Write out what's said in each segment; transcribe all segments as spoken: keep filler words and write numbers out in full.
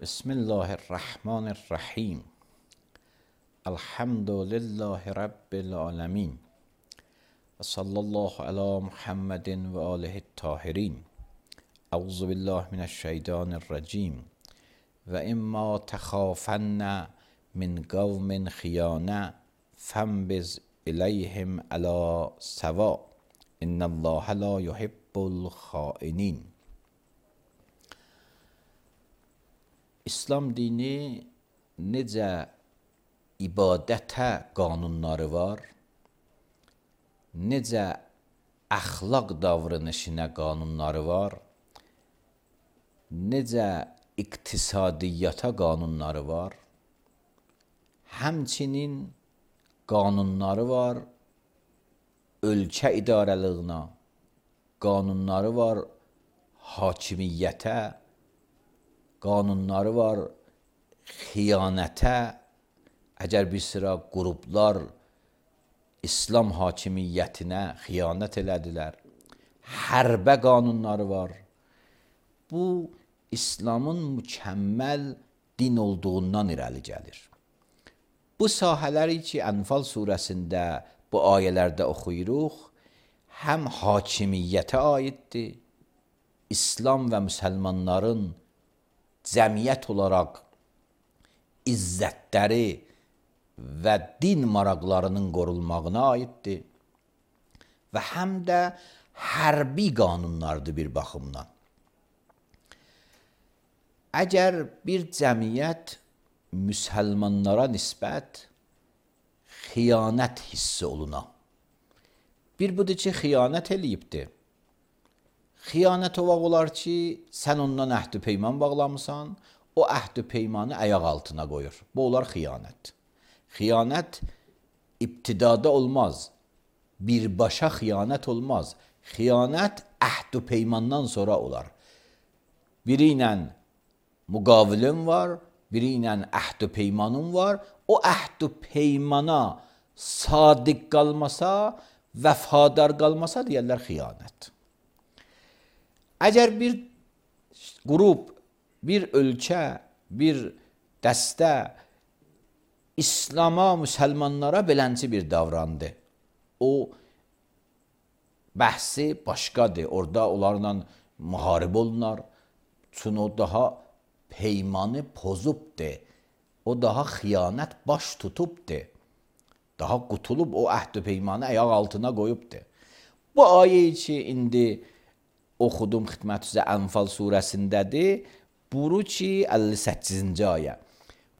Bismillahirrahmanirrahim. Elhamdülillahi Rabbil alemin. Ve sallallahu ala Muhammedin ve alihi tahirin. Euzu billahi mineşşeytanirracim. Ve imma tehafenne min kavmin khiyana fembiz ileyhim ala seva. İnnallâhe la yuhibbul hainin. İslam dini necə ibadətə qanunları var, necə əxlaq davranışına qanunları var, necə iqtisadiyyata qanunları var, həmçinin qanunları var ölkə idarəliyinə, qanunları var hakimiyyətə, qanunları var xiyanətə. Əgər bir sıra qruplar İslam hakimiyyətinə xiyanət elədilər, hərbə qanunları var. Bu, İslamın mükəmməl din olduğundan irəli gəlir. Bu sahələri ki, Ənfal surəsində bu ayələrdə oxuyuruq, həm hakimiyyətə aiddir, İslam və müsəlmanların cəmiyyət olaraq izzətləri və din maraqlarının qorunmağına aiddir və həm də hərbi qanunlardır bir baxımdan. Əgər bir cəmiyyət müsəlmanlara nisbət xiyanət hissi oluna, bir budur ki, xiyanət eləyibdir. Xiyanət olaq olar ki, sən ondan əhd-i peyman bağlamısan, o əhd-i peymanı ayaq altına qoyur. Bu olar xiyanət. Xiyanət ibtidada olmaz, birbaşa xiyanət olmaz. Xiyanət əhd-i peymandan sonra olar. Biri ilə müqavilin var, biri ilə əhd-i peymanın var. O əhd-i peymana sadiq qalmasa, vəfadar qalmasa deyərlər xiyanət. Əgər bir qrup, bir ölkə, bir dəstə İslama, müsəlmanlara belənci bir davrandı, o bəhsi başqadır. Orada onlarla müharibə olunar. Çünki o daha peymanı pozubdur. O daha xiyanət baş tutubdur. Daha qutulub o əhd-i peymanı ayaq altına qoyubdur. Bu ayəyi ki, indi oxudum xidmət üzrə Ənfal surəsindədir. Buyurur ki, əlli səkkizinci ayə.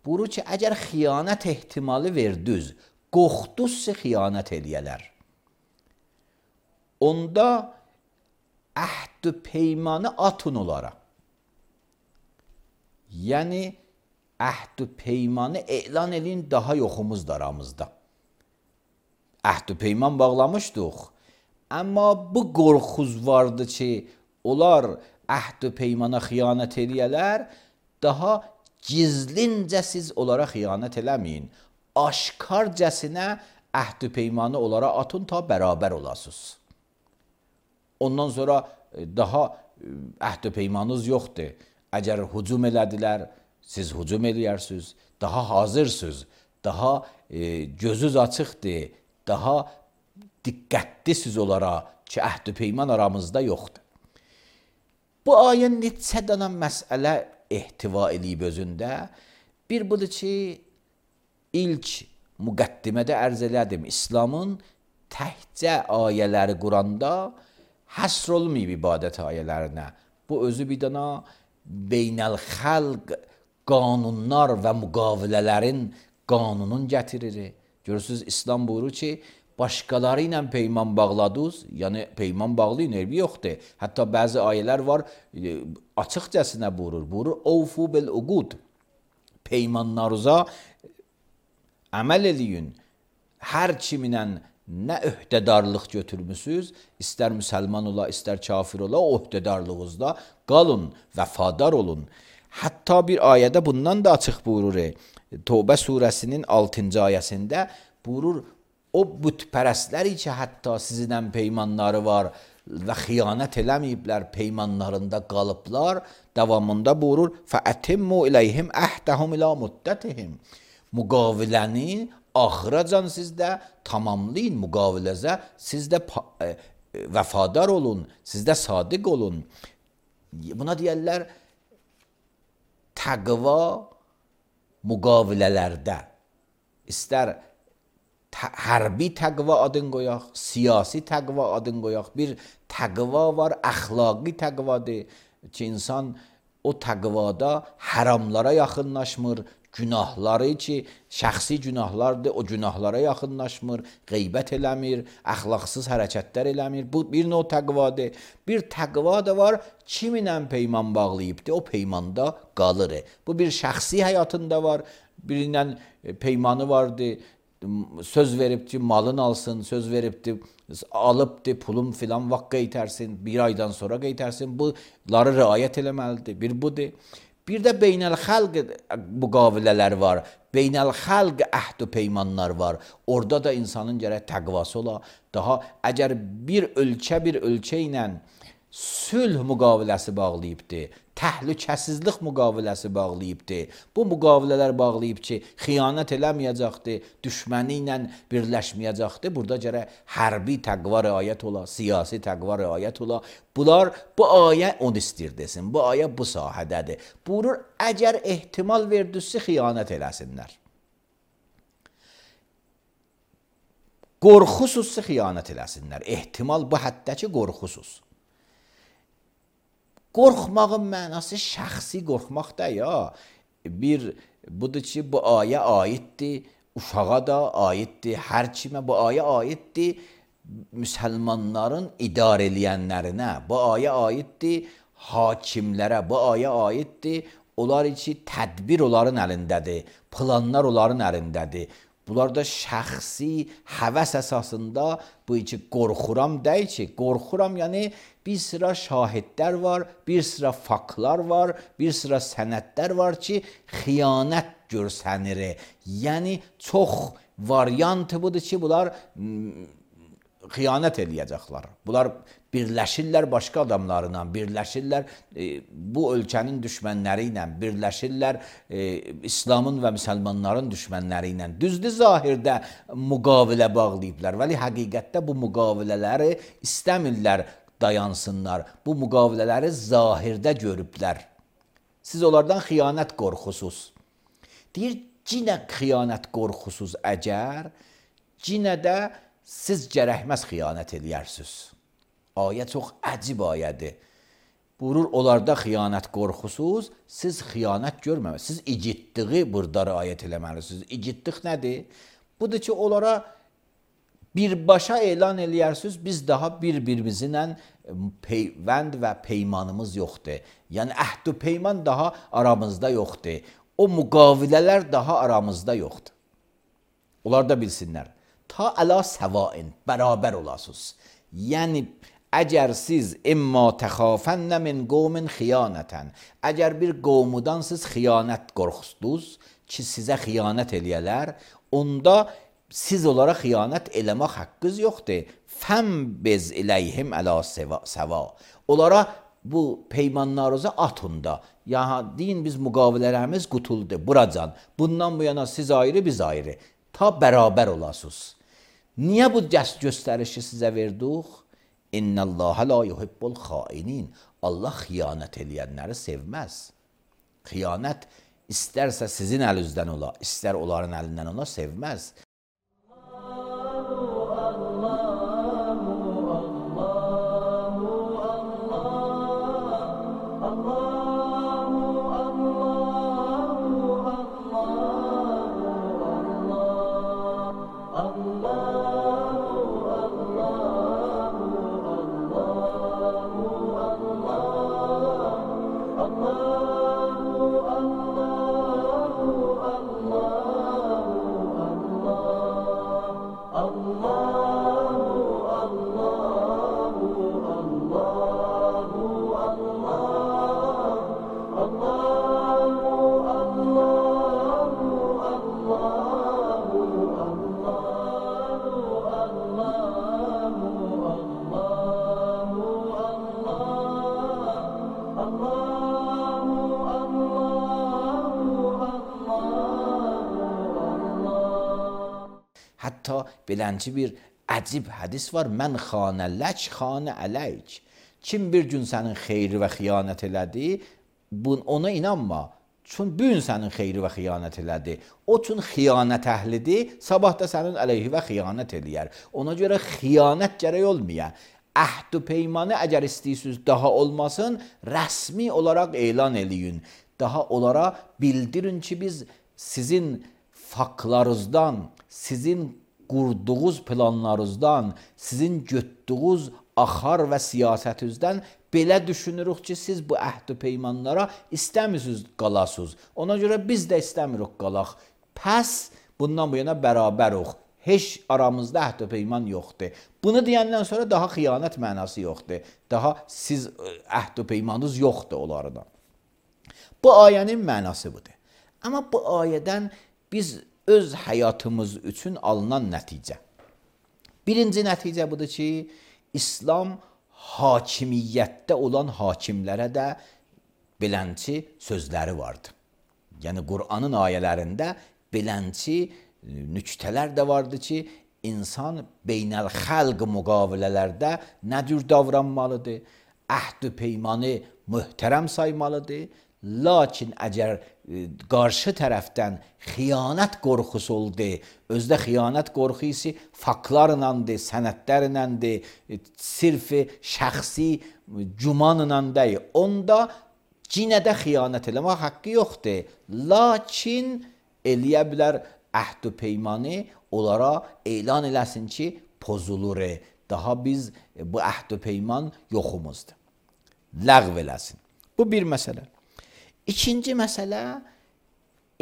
Buyurur ki, əgər xiyanət ehtimalı verdiniz, qorxdunuzsa xiyanət eləyələr. Onda əhd-i peymanı atın onlara. Yəni, əhd-i peymanı elan edin, daha yoxumuzdur aramızda. Əhd-i peyman bağlamışdıq. Amma bu qorxuz vardı ki, onlar əhd-i peymana xiyanət eləyələr, daha gizlincə siz onlara xiyanət eləməyin. Aşkarcəsinə əhd-i peymanı onlara atın, ta bərabər olasınız. Ondan sonra daha əhd-i peymanınız yoxdur. Əgər hücum elədilər, siz hücum eləyərsiniz, daha hazırsınız, daha e, gözünüz açıqdır, daha diqqətlisiniz onlara ki, əhd-i peyman aramızda yoxdur. Bu ayə neçə dənə məsələ ehtiva eləyib özündə. Bir budur ki, ilk müqəddimədə ərz elədim, İslamın təhcə ayələri Quranda həsr olmayıb ibadət ayələrinə. Bu özü bir dənə beynəl-xəlq qanunlar və müqavilələrin qanunun gətirir. Görürsünüz, İslam buyurur ki, başqaları ilə peyman bağladınız, yəni peyman bağlayın, elbi yoxdur. Hətta bəzi ayələr var, açıqcəsinə buyurur. Buyurur, Ovfu bil-uqud. Peymanlarınıza əməl eləyin. Hər kiminlə nə öhdədarlıq götürmüsünüz, istər müsəlman ola, istər kafir ola, o öhdədarlığınızda qalın, vəfadar olun. Hətta bir ayədə bundan da açıq buyurur. Tövbə surəsinin altıncı ayəsində buyurur, o bütpərəstləri ki, hətta sizinlə peymanları var, və xiyanət eləməyiblər, peymanlarında qalıblar. Davamında buyurur: "Fəətimmu ileyhim əhdəhum ilə muddətihim." Müqaviləni axıracan sizdə tamamlayın, müqaviləzə sizdə vəfadar olun, sizdə sadiq olun. Buna deyərlər təqva müqavilələrdə. İstər hərbi təqva adın qoyaq, siyasi təqva adın qoyaq. Bir təqva var, əxlaqi təqvadır ki, insan o təqvada haramlara yaxınlaşmır, günahları ki, şəxsi günahlardır, o günahlara yaxınlaşmır, qeybət eləmir, əxlaqsız hərəkətlər eləmir. Bu bir növ təqvadır. Bir təqva da var, kiminlə peyman bağlayıbdır, o peymanda qalır. Bu bir şəxsi həyatında var, birindən peymanı vardır, söz veribdi, malın alsın, söz veribdi, alıbdı, pulum filan vaxt qeytərsin, bir aydan sonra qeytərsin. Bunları riayət eləməlidir. Bir budur. Bir də beynəl-xalq müqavilələr var. Beynəl-xalq əhd-ü peymanlar var. Orada da insanın gərək təqvası ola. Daha əgər bir ölkə bir ölkə ilə sülh müqaviləsi bağlayıbdır, təhlükəsizlik müqaviləsi bağlayıbdır. Bu müqavilələr bağlayıb ki, xiyanət eləməyəcəkdir, düşməni ilə birləşməyəcəkdir. Burada gərək hərbi təqva riayət ola, siyasi təqva riayət ola. Bunlar, bu ayə onu istir desin, bu ayə bu sahədədir. Buyurur, əgər ehtimal verdüsə xiyanət eləsinlər. Qorxusuzsa xiyanət eləsinlər. Ehtimal bu həddə ki, qorxusuz. Qorxmağın mənası şəxsi qorxmaq da ya. Bir, budur ki, bu ayə aiddir, uşağa da aiddir, hər kimə bu ayə aiddir, müsəlmanların idarə eləyənlərinə, bu ayə aiddir, hakimlərə, bu ayə aiddir, onlar ki, tədbir onların əlindədir, planlar onların əlindədir. Bunlar da şəxsi həvəs əsasında bu iki qorxuram deyil ki, qorxuram yəni bir sıra şahidlər var, bir sıra faktlar var, bir sıra sənədlər var ki, xiyanət görsənir. Yəni çox variantı budur ki, bunlar xiyanət eləyəcəklər. Bunlar birləşirlər başqa adamlarla, birləşirlər e, bu ölkənin düşmənləri ilə, birləşirlər e, İslamın və müsəlmanların düşmənləri ilə. Düzdür, zahirdə müqavilə bağlayıblar, vəli həqiqətdə bu müqavilələri istəmirlər dayansınlar. Bu müqavilələri zahirdə görüblər. Siz onlardan xiyanət qorxusuz. Deyir, cinə xiyanət qorxusuz əgər, cinə də siz gərəkməz xiyanət eləyərsiniz. Ayə çox əcib ayədir. Buyurur, onlarda xiyanət qorxusuz, siz xiyanət görməməlisiniz. Siz igidliği burada riayət eləməlisiniz. İgidlik nədir? Budur ki, onlara birbaşa elan eləyərsiniz, biz daha bir-birimizlə peyvənd və peymanımız yoxdur. Yəni, əhd-ü peyman daha aramızda yoxdur. O müqavilələr daha aramızda yoxdur. Onlar da bilsinlər. Ta əla səvain, bərabər olasınız. Yəni, əgər siz imma təxafənnə min qovmin xiyanətən, əgər bir qovmudan siz xiyanət qorxusdunuz ki, sizə xiyanət eləyələr, onda siz onlara xiyanət eləmək haqqınız yoxdur. Fəmbiz iləyhim əla səva. Onlara bu peymanlarınıza atın da. Ya deyin, biz müqavilələrimiz qutuldu, buracan. Bundan bu yana siz ayrı, biz ayrı. Ta bərabər olasınız. Niyə bu göstərişi sizə verdik? İnnəlləhə la yuhibbul xainin. Allah xiyanət eləyənləri sevməz. Xiyanət istərsə sizin əlinizdən ola, istər onların əlindən ola, sevməz. Allah Hətta belənci bir əcib hədis var. Mən xanə lək, xanə əleyk. Kim bir gün sənin xeyri və xiyanət elədi, bun, ona inanma. Çün bu gün sənin xeyri və xiyanət elədi. O çün xiyanət əhlidir, sabah da sənin əleyhi və xiyanət eləyər. Ona görə xiyanət gərək olmaya. Əhd və peymanı əgər istəyirsiniz daha olmasın, rəsmi olaraq elan eləyin. Daha onlara bildirin ki, biz sizin faktlarınızdan, sizin qurduğunuz planlarınızdan, sizin götdüğünüz axar və siyasətinizdən belə düşünürük ki, siz bu əhd-i peymanlara istəmirsiniz qalasınız. Ona görə biz də istəmirik qalaq. Pəs bundan bu yana bərabərik. Heç aramızda əhd-i peyman yoxdur. Bunu deyəndən sonra daha xiyanət mənası yoxdur. Daha siz əhd-i peymanınız yoxdur onlardan. Bu ayənin mənası budur. Amma bu ayədən biz öz həyatımız üçün alınan nəticə. Birinci nəticə budur ki, İslam hakimiyyətdə olan hakimlərə də belənçi sözləri vardır. Yəni Qur'anın ayələrində belənçi nüktələr də vardır ki, insan beynəl-xəlq müqavilələrdə nə cür davranmalıdır? Əhd-i peymanı möhtərəm saymalıdır. Lakin əgər qarşı tərəfdən xiyanət qorxusu oldu, özdə xiyanət qorxusu faktlarınandır, sənədlərinəndir, sirfi şəxsi gümanınandır, onda cinə də xiyanət eləmək haqqı yoxdur. Lakin eləyə bilər əhd-i peymanı onlara elan eləsin ki, pozulur, daha biz bu əhd-i peyman yoxumuzdur. Ləğv eləsin. Bu bir məsələ. İkinci məsələ,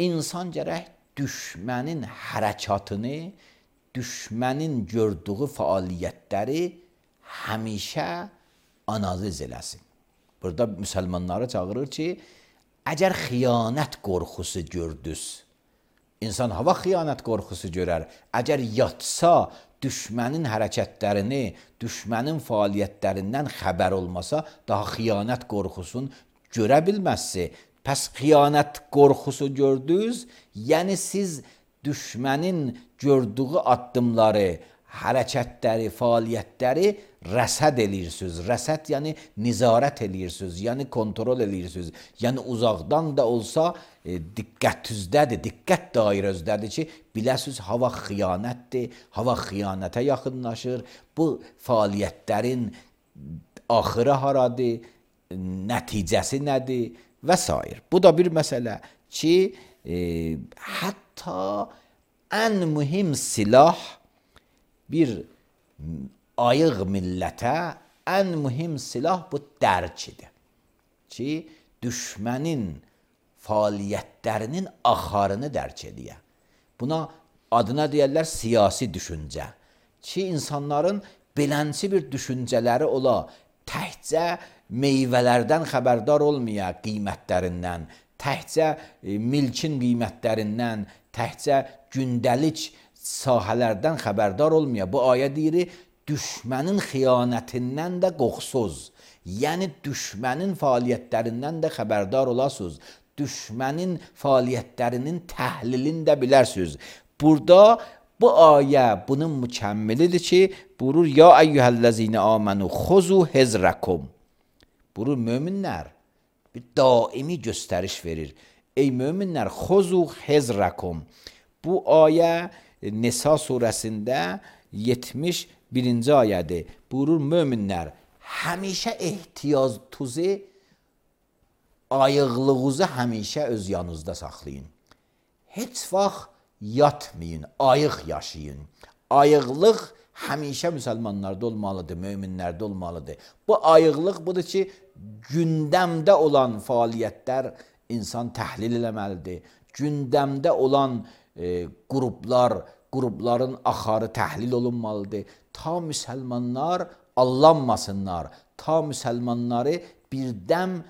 insan gərək düşmənin hərəkatını, düşmənin gördüyü fəaliyyətləri həmişə analiz eləsin. Burada müsəlmanları çağırır ki, əgər xiyanət qorxusu gördünüz, insan hava xiyanət qorxusu görər. Əgər yatsa, düşmənin hərəkətlərini, düşmənin fəaliyyətlərindən xəbər olmasa, daha xiyanət qorxusunu görə bilməzsi. Pəs xiyanət qorxusu gördünüz, yəni siz düşmənin gördüyü addımları, hərəkətləri, fəaliyyətləri rəsəd eləyirsiniz. Rəsəd yəni nizarət eləyirsiniz, yəni kontrol eləyirsiniz. Yəni uzaqdan da olsa e, diqqətinizdədir, diqqət dairənizdədir ki, biləsiniz hava xiyanətdir, hava xiyanətə yaxınlaşır. Bu fəaliyyətlərin axırı haradır, nəticəsi nədir və s. Bu da bir məsələ ki, e, hətta ən mühim silah bir ayıq millətə ən mühim silah bu dərkidir. Ki, düşmənin fəaliyyətlərinin axarını dərk ediyə. Buna adına deyərlər siyasi düşüncə. Ki, insanların belənçi bir düşüncələri ola, təhcə meyvələrdən xəbərdar olmaya qiymətlərindən, təhcə e, milkin qiymətlərindən, təhcə gündəlik sahələrdən xəbərdar olmaya. Bu ayə deyir, düşmənin xiyanətindən də qorxsuz. Yəni düşmənin fəaliyyətlərindən də xəbərdar olasınız. Düşmənin fəaliyyətlərinin təhlilini də bilərsiniz. Burada bu ayə bunun mükəmmilidir ki, buyurur, ya əyyuhəl-ləzine amenu xuzu hezrəkum. Buyurur, möminlər bir daimi göstəriş verir. Ey möminlər, xuzu hezrəkum. Bu ayə Nisa surəsində yetmiş birinci ayədir. Buyurur, möminlər, həmişə ehtiyacınızı, ayıqlığınızı həmişə öz yanınızda saxlayın. Heç vaxt yatmayın, ayıq yaşayın. Ayıqlıq həmişə müsəlmanlarda olmalıdır, möminlərdə olmalıdır. Bu ayıqlıq budur ki, gündəmdə olan fəaliyyətlər insan təhlil eləməlidir. Gündəmdə olan e, qruplar, qrupların axarı təhlil olunmalıdır. Ta müsəlmanlar allanmasınlar, ta müsəlmanları birdəm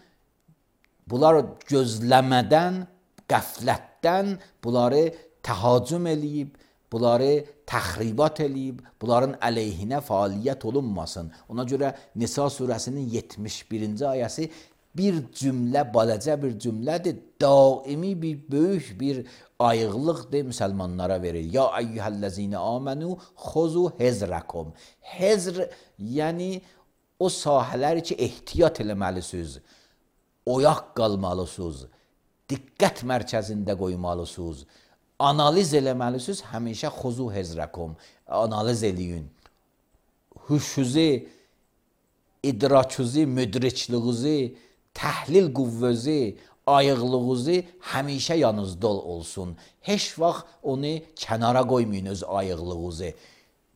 bunlar gözləmədən, qəflətdən bunları təhacüm eləyib, bunları təxribat eləyib, bunların əleyhinə fəaliyyət olunmasın. Ona görə Nisa surəsinin yetmiş birinci ayəsi bir cümlə, balaca bir cümlədir, daimi bir böyük bir ayıqlıqdır müsəlmanlara verir. Ya eyyuhəllezine amenu xuzu hezrakum. Hezr yəni o sahələr ki ehtiyat eləməlisiniz, oyaq qalmalısınız, diqqət mərkəzində qoymalısınız, analiz eləməlisiniz. Həmişə xuzu hezrakum, analiz eləyin. Huşuzu, idrakınızı, müdrikliğinizi, təhlil qüvvəsi, ayıqlığınızı həmişə yanınızda olsun. Heç vaxt onu kənara qoymayın öz ayıqlığınızı.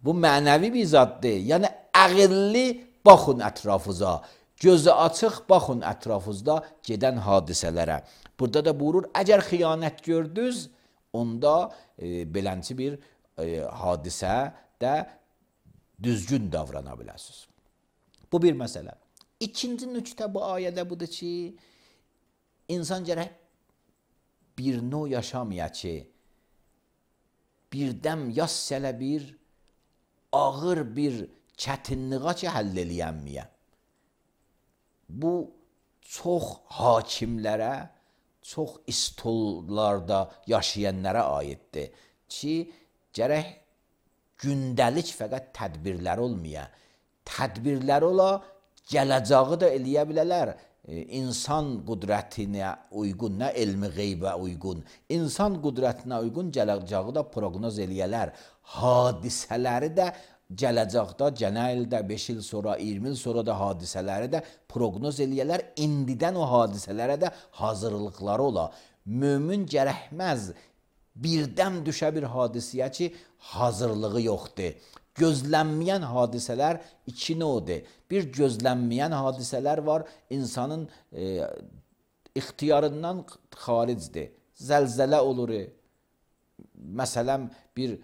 Bu mənəvi bir zaddır. Yəni ağıllı baxın ətrafınıza. Gözü açıq baxın ətrafınızda gedən hadisələrə. Burada da buyurur, əgər xiyanət gördünüz, onda e, belənçi bir e, hadisədə düzgün davrana biləsiniz. Bu bir məsələ. İkinci nüqtə bu ayədə budur ki, insan gərək bir növ yaşamaya ki, birdəm yas sələ bir ağır bir çətinliğə ki, həll eləyənməyə. Bu, çox hakimlərə, çox istollarda yaşayanlara aiddir ki, gərək gündəlik fəqət tədbirlər olmaya, tədbirlər ola, gələcəyi da eləyə bilərlər. İnsan qüdrətinə uyğun, nə elmi qeybə uyğun, insan qüdrətinə uyğun gələcəyi da proqnoz eləyələr. Hadisələri də gələcəkdə, gələn ildə, beş il sonra, iyirmi il sonra da hadisələri də proqnoz eləyələr. İndidən o hadisələrə də hazırlıqları ola. Mömin gərəkməz birdəm düşə bir hadisəyə ki, hazırlığı yoxdur. Gözlənməyən hadisələr iki növdür. Bir gözlənməyən hadisələr var, insanın e, ixtiyarından xaricdir. Zəlzələ olur, məsələn bir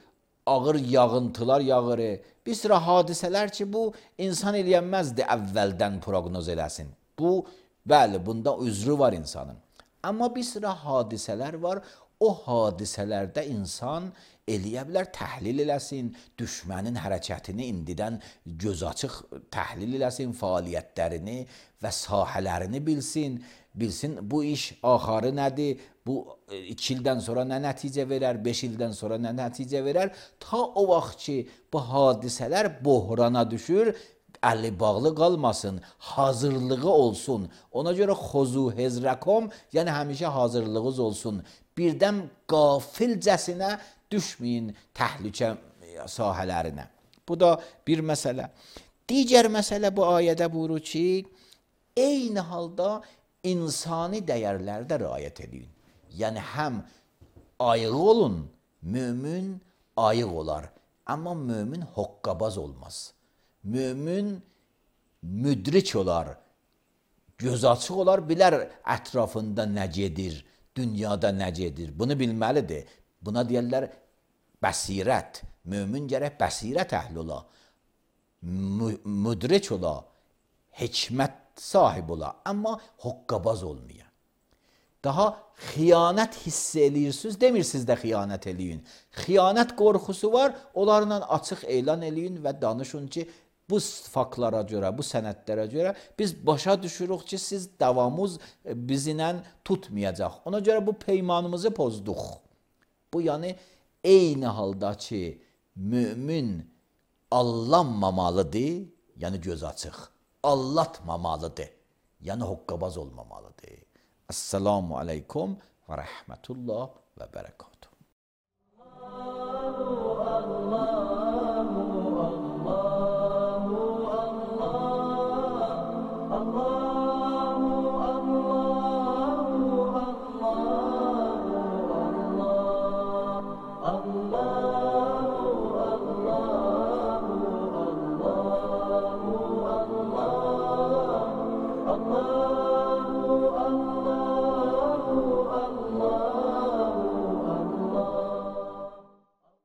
ağır yağıntılar yağır. Bir sıra hadisələr ki, bu insan eləyənməzdir əvvəldən proqnoz eləsin. Bu, bəli, bunda üzrü var insanın. Amma bir sıra hadisələr var, o hadisələrdə insan eləyə bilər, təhlil eləsin, düşmənin hərəkətini indidən göz açıq təhlil eləsin, fəaliyyətlərini və sahələrini bilsin, bilsin bu iş axarı nədir, bu iki ildən sonra nə nəticə verər, beş ildən sonra nə nəticə verər, ta o vaxt ki, bu hadisələr bohrana düşür, əli bağlı qalmasın, hazırlığı olsun. Ona görə xuzu hezrakum, yəni həmişə hazırlığınız olsun. Birdən qafilcəsinə düşməyin təhlükə sahələrinə. Bu da bir məsələ. Digər məsələ bu ayədə buyurur ki, eyni halda insani dəyərlərdə riayət edin. Yəni həm ayıq olun, mömin ayıq olar. Amma mömin hoqqabaz olmaz. Mömin müdrik olar, göz açıq olar, bilər ətrafında nə gedir, dünyada nə gedir. Bunu bilməlidir. Buna deyərlər bəsirət. Mömin gərək bəsirət əhli ola, müdrik ola, hikmət sahib ola, amma hoqqabaz olmaya. Daha xiyanət hiss eləyirsiniz, demirsiniz də xiyanət eləyin. Xiyanət qorxusu var, onlarla açıq elan eləyin və danışın ki, bu faktlara görə, bu sənədlərə görə biz başa düşürük ki, siz davamız bizlə tutmayacaq. Ona görə bu peymanımızı pozduq. Bu yəni eyni halda ki, mömin allanmamalıdır, yəni göz açıq, allatmamalıdır, yəni hoqqabaz olmamalıdır. Esselamu aleykum və rəhmətullah və bərəkatuhu.